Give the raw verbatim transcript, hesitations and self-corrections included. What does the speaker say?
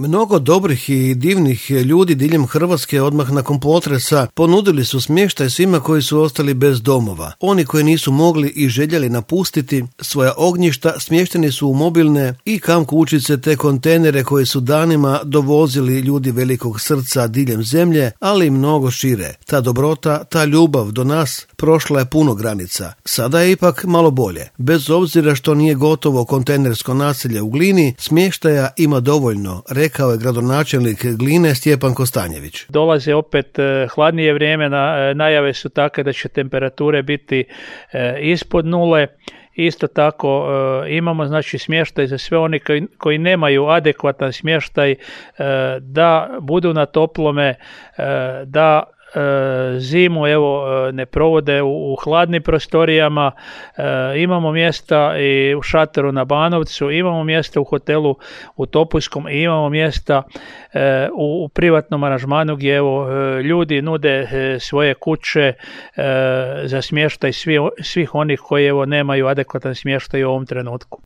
Mnogo dobrih i divnih ljudi diljem Hrvatske odmah nakon potresa ponudili su smještaj svima koji su ostali bez domova. Oni koji nisu mogli i željeli napustiti svoja ognjišta smješteni su u mobilne i kamp kućice te kontejnere koje su danima dovozili ljudi velikog srca diljem zemlje, ali i mnogo šire. Ta dobrota, ta ljubav do nas prošla je puno granica. Sada je ipak malo bolje. Bez obzira što nije gotovo kontejnersko naselje u Glini, smještaja ima dovoljno, rekao je gradonačelnik Gline Stjepan Kostanjević. Dolaze opet hladnije vrijeme, najave su takve da će temperature biti ispod nule. Isto tako imamo znači smještaj za sve oni koji, koji nemaju adekvatan smještaj, da budu na toplome, da zimu evo ne provode u, u hladnim prostorijama. E, imamo mjesta i u šatoru na Banovcu, imamo mjesta u hotelu u Topuskom i imamo mjesta e, u, u privatnom aranžmanu gdje evo ljudi nude e, svoje kuće e, za smještaj svi, svih onih koji evo nemaju adekvatan smještaj u ovom trenutku.